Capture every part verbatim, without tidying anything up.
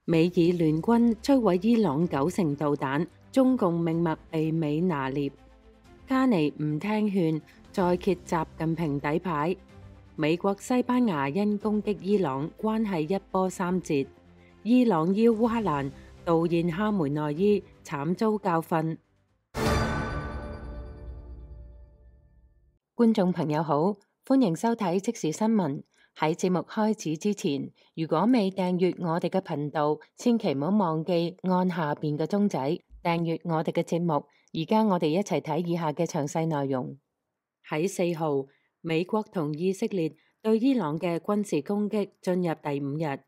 美以聯軍摧毀伊朗九成導彈，中共命脈被美拿捏。卡尼唔聽勸，再揭習近平底牌。美國西班牙因攻擊伊朗，關係一波三折。伊朗邀烏克蘭悼唁哈梅內伊，慘遭教訓。觀眾朋友好，歡迎收睇即時新聞。喺節目開始之前，如果未訂閱我哋嘅頻道，千祈唔好忘記按下邊嘅鐘仔訂閱我哋嘅節目。而家我哋一齊睇以下嘅詳細內容。喺四號，美國同以色列對伊朗嘅軍事攻擊進入第五日。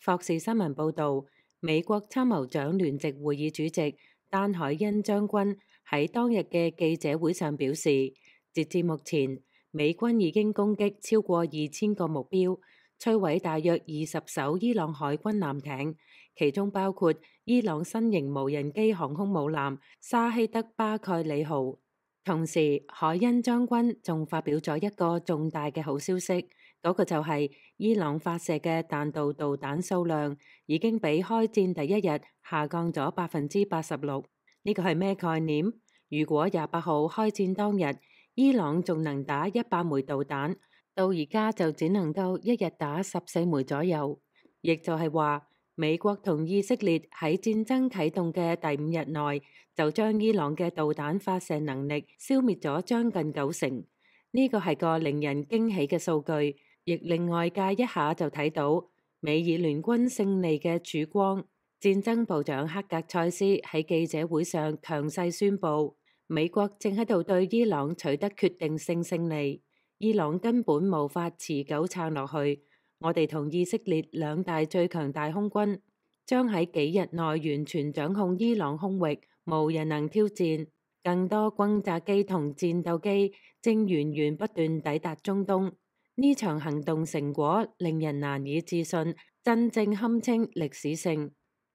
霍士新聞報道，美國參謀長聯席會議主席丹海恩將軍喺當日嘅記者會上表示，截至目前，美軍已經攻擊超過二千個目標，摧毀大約二十艘伊朗海軍艦艇，其中包括伊朗新型無人機航空母艦沙希德巴蓋里號。同時，海恩將軍仲發表咗一個重大嘅好消息，嗰個就係伊朗發射嘅彈道導彈數量已經比開戰第一日下降咗百分之八十六。呢個係咩概念？如果廿八號開戰當日，伊朗仲能打一百枚導彈，到而家就只能夠一日打十四枚左右，亦就係話美國同以色列喺戰爭啟動嘅第五日內就將伊朗嘅導彈發射能力消滅咗將近九成。呢個係個令人驚喜嘅數據，亦令外界一下就睇到美以聯軍勝利嘅曙光。戰爭部長克格塞斯喺記者會上強勢宣布，美國正喺度對伊朗取得決定性勝利，伊朗根本無法持久撐落去。我哋同以色列兩大最強大空軍將喺幾日內完全掌控伊朗空域，無人能挑戰。更多轟炸機同戰鬥機正源源不斷抵達中東。呢場行動成果令人難以置信，真正堪稱歷史性。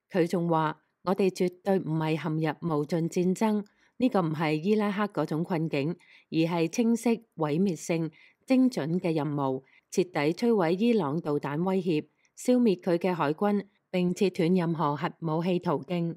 佢仲話：我哋絕對唔係陷入無盡戰爭。呢個唔係伊拉克嗰種困境，而係清晰、毀滅性、精準嘅任務，徹底摧毀伊朗導彈威脅，消滅佢嘅海軍，並切斷任何核武器途徑。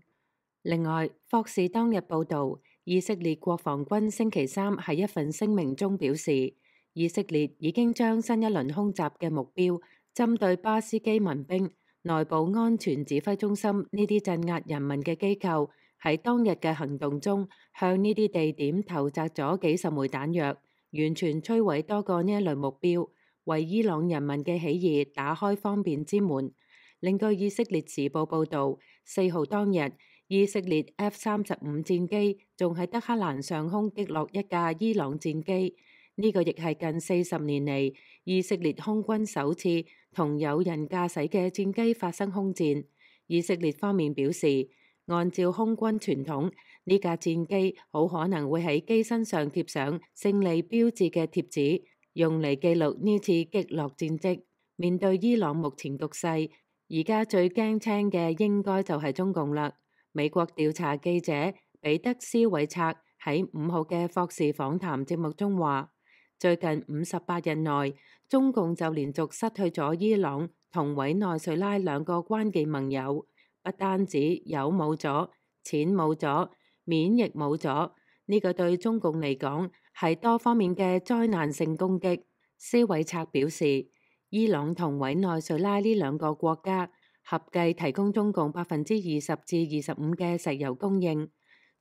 另外，霍士當日報導，以色列國防軍星期三喺一份聲明中表示，以色列已經將新一輪空襲嘅目標針對巴斯基民兵、內部安全指揮中心呢啲鎮壓人民嘅機構。喺當日嘅行動中，向呢啲地點投擲咗幾十枚彈藥，完全摧毀多個呢一類目標，為伊朗人民嘅起義打開方便之門。另據以色列時報報導，四號當日，以色列 F 三十五戰機仲喺德黑蘭上空擊落一架伊朗戰機。呢、這個亦係近四十年嚟以色列空軍首次同有人駕駛嘅戰機發生空戰。以色列方面表示，按照空軍傳統，呢架戰機好可能會喺機身上貼上勝利標誌嘅貼紙，用嚟記錄呢次擊落戰績。面對伊朗目前局勢，而家最驚青嘅應該就係中共啦。美國調查記者彼得斯韋策喺五號嘅霍士訪談節目中話，最近五十八日內，中共就連續失去咗伊朗同委內瑞拉兩個關鍵盟友。不單止油冇咗，錢冇咗，面亦冇咗，呢個對中共嚟講係多方面嘅災難性攻擊。斯韋策表示，伊朗同委內瑞拉呢兩個國家合計提供中共百分之二十至二十五嘅石油供應。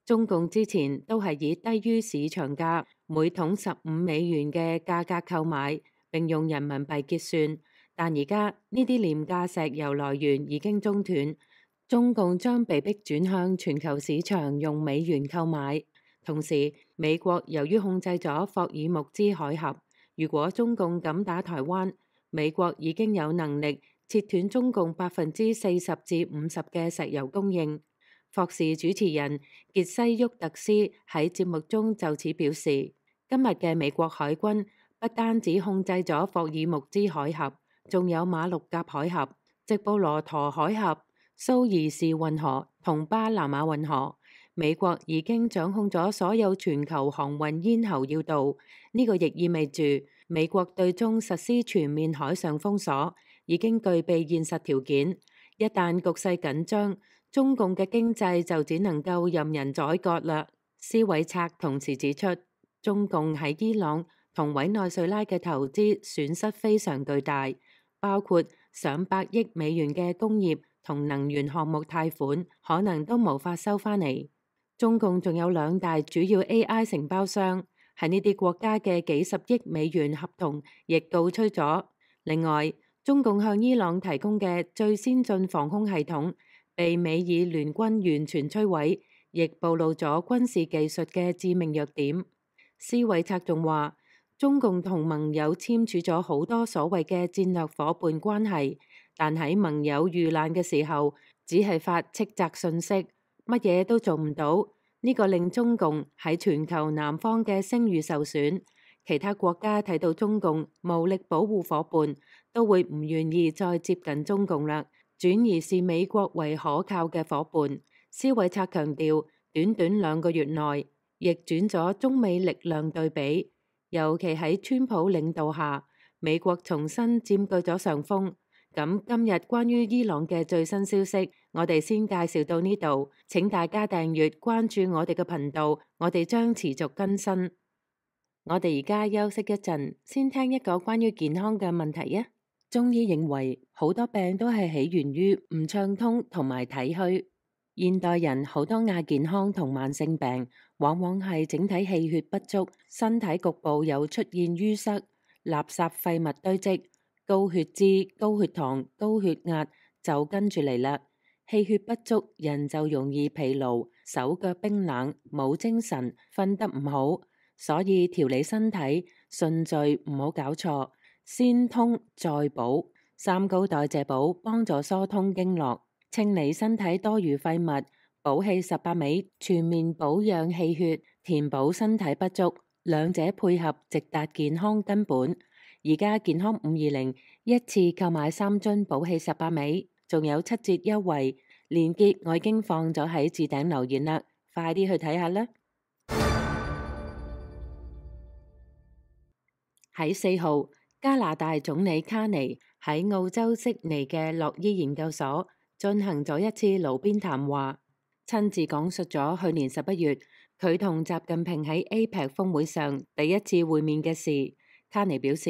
中共之前都係以低於市場價每桶十五美元嘅價格購買，並用人民幣結算，但而家呢啲廉價石油來源已經中斷。中共將被迫轉向全球市場用美元購買。同時，美國由於控制咗霍爾木茲海峽，如果中共敢打台灣，美國已經有能力切斷中共百分之四十至五十嘅石油供應。霍士主持人傑西沃特斯喺節目中就此表示，今日嘅美國海軍不單止控制咗霍爾木茲海峽，仲有馬六甲海峽、直布羅陀海峽、蘇伊士運河同巴拿馬運河。美國已經掌控咗所有全球航運咽喉要道，呢、這個亦意味住美國對中實施全面海上封鎖已經具備現實條件。一旦局勢緊張，中共嘅經濟就只能夠任人宰割啦。施韋策同時指出，中共喺伊朗同委內瑞拉嘅投資損失非常巨大，包括上百億美元嘅工業同能源項目貸款，可能都無法收返嚟。中共仲有兩大主要 A I 承包商，喺呢啲國家嘅幾十億美元合同亦告吹咗。另外，中共向伊朗提供嘅最先進防空系統被美以聯軍完全摧毀，亦暴露咗軍事技術嘅致命弱點。施韋策仲話，中共同盟友簽署咗好多所謂嘅戰略夥伴關係，但喺盟友遇難嘅時候，只係發斥責信息，乜嘢都做唔到。呢個令中共喺全球南方嘅聲譽受損。其他國家睇到中共無力保護夥伴，都會唔願意再接近中共啦，轉而視美國為可靠嘅夥伴。施韋策強調，短短兩個月內逆轉咗中美力量對比，尤其喺川普領導下，美國重新佔據咗上風。咁今日關於伊朗嘅最新消息，我哋先介紹到呢度。請大家訂閱關注我哋嘅頻道，我哋將持續更新。我哋而家休息一陣，先聽一個關於健康嘅問題啊。中醫認為好多病都係起源於唔暢通同埋體虛。現代人好多亞健康同慢性病，往往係整體氣血不足，身體局部有出現淤塞、垃圾廢物堆積、高血脂、高血糖、高血壓就跟住嚟啦。氣血不足，人就容易疲勞、手腳冰冷、冇精神、瞓得唔好。所以調理身體順序唔好搞錯，先通再補。三高代謝補幫助疏通經絡，清理身體多餘廢物。補氣十八味全面保養氣血，填補身體不足，兩者配合直達健康根本。而家健康五二零一次購買三樽補氣十八味，仲有七折優惠，鏈接我已經放咗喺置頂留言啦，快啲去睇下啦！喺四號，加拿大總理卡尼喺澳洲悉尼嘅洛伊研究所進行咗一次爐邊談話，親自講述咗去年十一月佢同習近平喺 A P E C 峰會上第一次會面嘅事。卡尼表示，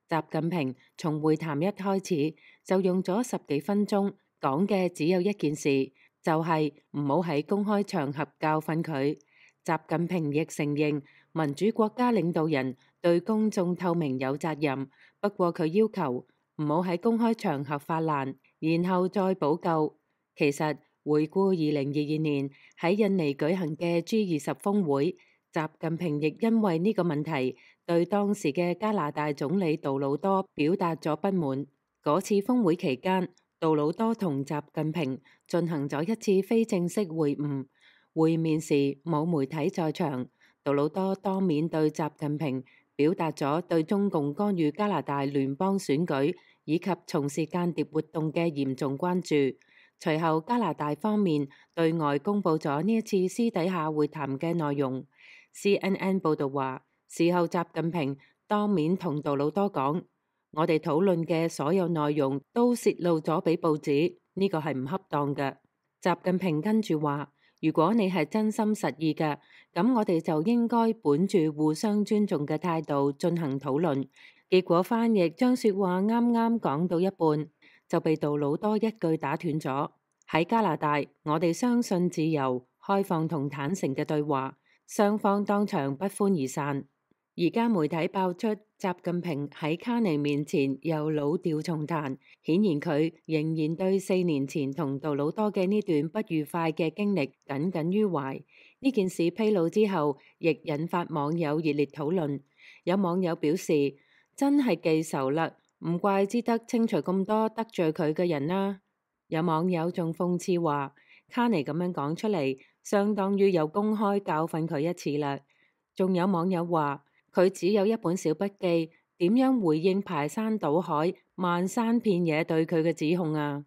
習近平從會談一開始就用咗十幾分鐘講嘅只有一件事，就係唔好喺公開場合教訓佢。習近平亦承認民主國家領導人對公眾透明有責任，不過佢要求唔好喺公開場合發難，然後再補救。其實回顧二零二二年喺印尼舉行嘅 G 二十峰會，習近平亦因為呢個問題對當時嘅加拿大總理杜魯多表達咗不滿。嗰次峰會期間，杜魯多同習近平進行咗一次非正式會晤。會面時冇媒體在場，杜魯多當面對習近平表達咗對中共干預加拿大聯邦選舉以及從事間諜活動嘅嚴重關注。隨後加拿大方面對外公佈咗呢一次私底下會談嘅內容。C N N 報道話，事後習近平當面同杜魯多講，我哋討論嘅所有內容都泄露咗俾報紙，呢個係唔恰當嘅。習近平跟住話，如果你係真心實意嘅，咁我哋就應該本住互相尊重嘅態度進行討論。結果翻譯將說話啱啱講到一半，就被杜魯多一句打斷咗。喺加拿大，我哋相信自由、開放同坦誠嘅對話，雙方當場不歡而散。而家媒體爆出習近平喺卡尼面前又老調重彈，顯然佢仍然對四年前同杜魯多嘅呢段不愉快嘅經歷耿耿於懷。呢件事披露之後，亦引發網友熱烈討論。有網友表示，真係記仇啦，唔怪之得清除咁多得罪佢嘅人啦。有網友仲諷刺話，卡尼咁樣講出嚟，相當於有公開教訓佢一次啦。仲有網友話，佢只有一本小筆記，點樣回應排山倒海、漫山遍野對佢嘅指控啊？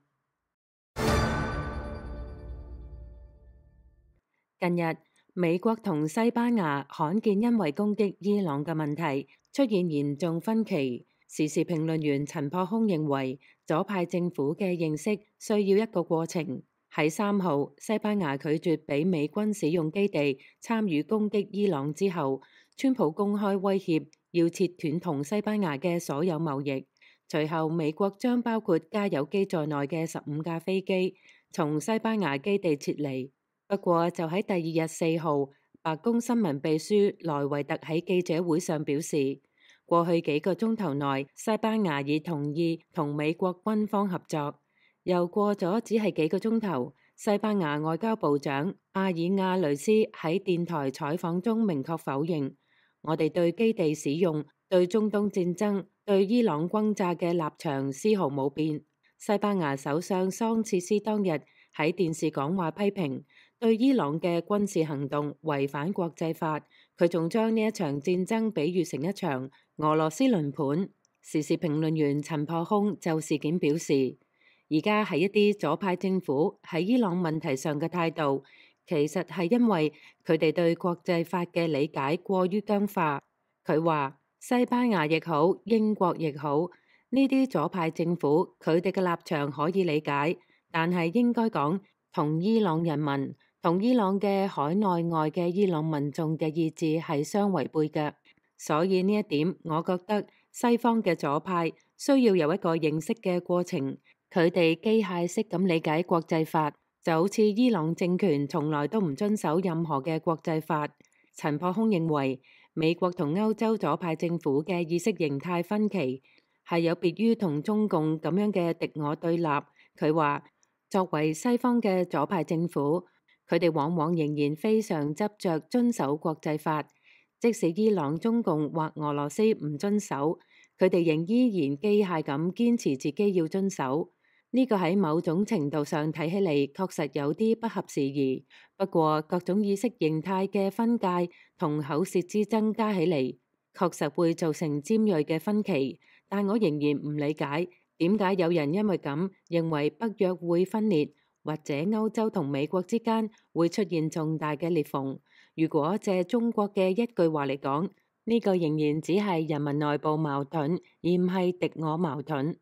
近日，美國同西班牙罕見因為攻擊伊朗嘅問題出現嚴重分歧。時事評論員陳破空認為，左派政府嘅認識需要一個過程。喺三號，西班牙拒絕俾美軍使用基地參與攻擊伊朗之後，川普公開威脅要切斷同西班牙嘅所有貿易。隨後，美國將包括加油機在內嘅十五架飛機從西班牙基地撤離。不過，就喺第二日四號，白宮新聞秘書萊維特喺記者會上表示，過去幾個鐘頭內，西班牙已同意同美國軍方合作。又過咗只係幾個鐘頭，西班牙外交部長阿爾亞雷斯喺電台採訪中明確否認，我哋對基地使用、對中東戰爭、對伊朗轟炸嘅立場絲毫冇變。西班牙首相桑切斯當日喺電視講話批評對伊朗嘅軍事行動違反國際法，佢仲將呢一場戰爭比喻成一場俄羅斯輪盤。時事評論員陳破空就事件表示，而家係一啲左派政府喺伊朗問題上嘅態度，其實係因為佢哋對國際法嘅理解過於僵化。佢話西班牙亦好，英國亦好，呢啲左派政府佢哋嘅立場可以理解，但係應該講同伊朗人民、同伊朗嘅海內外嘅伊朗民眾嘅意志係相違背嘅。所以呢一點，我覺得西方嘅左派需要有一個認識嘅過程。佢哋機械式咁理解國際法，就好似伊朗政權從來都唔遵守任何嘅國際法。陳破空認為，美國同歐洲左派政府嘅意識形態分歧係有別於同中共咁樣嘅敵我對立。佢話，作為西方嘅左派政府，佢哋往往仍然非常執着遵守國際法，即使伊朗、中共或俄羅斯唔遵守，佢哋仍依然機械咁堅持自己要遵守。呢個喺某種程度上睇起嚟確實有啲不合時宜，不過各種意識形態嘅分界同口舌之爭加起嚟，確實會造成尖銳嘅分歧。但我仍然唔理解點解有人因為咁認為北約會分裂，或者歐洲同美國之間會出現重大嘅裂縫。如果借中國嘅一句話嚟講，呢個仍然只係人民內部矛盾，而唔係敵我矛盾。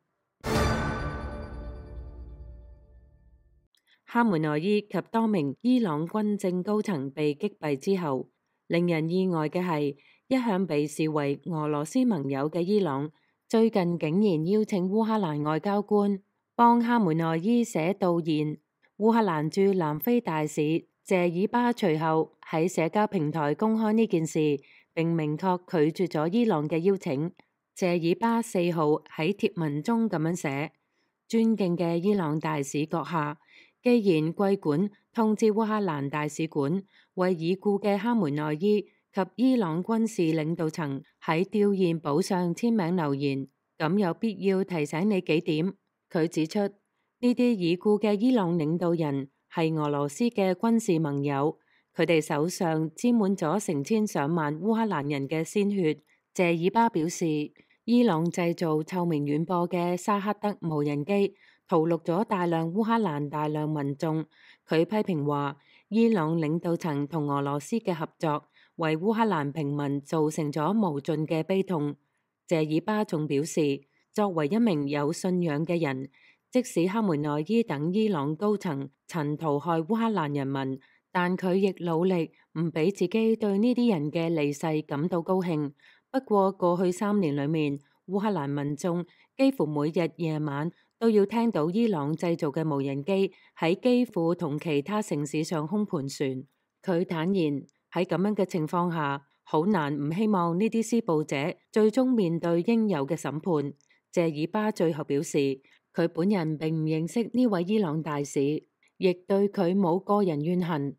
哈梅內伊及多名伊朗軍政高層被擊斃之後，令人意外嘅係，一向被視為俄羅斯盟友嘅伊朗，最近竟然邀請烏克蘭外交官幫哈梅內伊寫悼唁。烏克蘭駐南非大使謝爾巴隨後喺社交平台公開呢件事，並明確拒絕咗伊朗嘅邀請。謝爾巴四號喺貼文中咁樣寫：尊敬嘅伊朗大使閣下，既然貴館通知烏克蘭大使館為已故嘅哈梅內伊及伊朗軍事領導層喺弔唁簿上簽名留言，咁有必要提醒你幾點。佢指出，呢啲已故嘅伊朗領導人係俄羅斯嘅軍事盟友，佢哋手上沾滿咗成千上萬烏克蘭人嘅鮮血。謝爾巴表示，伊朗製造臭名遠播嘅沙克德無人機屠戮咗大量烏克蘭大量民眾。佢批評話，伊朗領導層同俄羅斯嘅合作為烏克蘭平民造成咗無盡嘅悲痛。謝爾巴仲表示，作為一名有信仰嘅人，即使哈梅內伊等伊朗高層曾屠害烏克蘭人民，但佢亦努力唔俾自己對呢啲人嘅離世感到高興。不過過去三年裏面，烏克蘭民眾幾乎每日夜晚都要聽到伊朗製造嘅無人機喺基輔同其他城市上空盤旋。佢坦言，喺咁樣嘅情況下，好難唔希望呢啲施暴者最終面對應有嘅審判。謝爾巴最後表示，佢本人並唔認識呢位伊朗大使，亦對佢冇個人怨恨。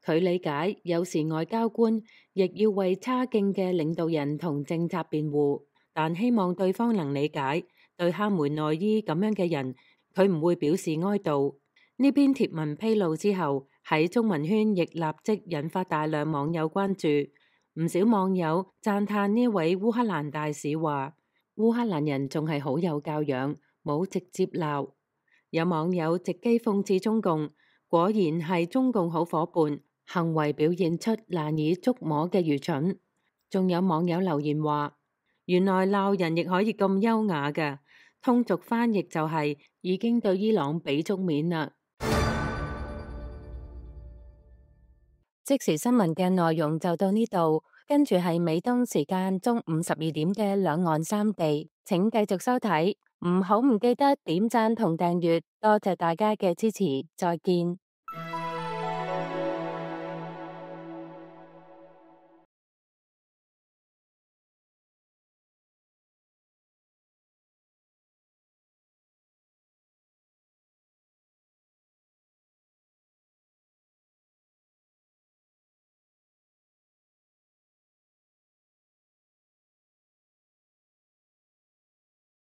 佢理解有時外交官亦要為差勁嘅領導人同政策辯護，但希望對方能理解，對哈梅內伊咁樣嘅人，佢唔會表示哀悼。呢篇貼文披露之後，喺中文圈亦立即引發大量網友關注。唔少網友讚嘆呢位烏克蘭大使話，烏克蘭人仲係好有教養，冇直接鬧。有網友直擊諷刺中共，果然係中共好夥伴，行為表現出難以捉摸嘅愚蠢。仲有網友留言話，原來鬧人亦可以咁優雅㗎。通俗翻譯就係已經對伊朗俾足面啦。即時新聞嘅內容就到呢度，跟住係美東時間中午十二點嘅兩岸三地，請繼續收睇，唔好唔記得點讚同訂閱，多謝大家嘅支持，再見。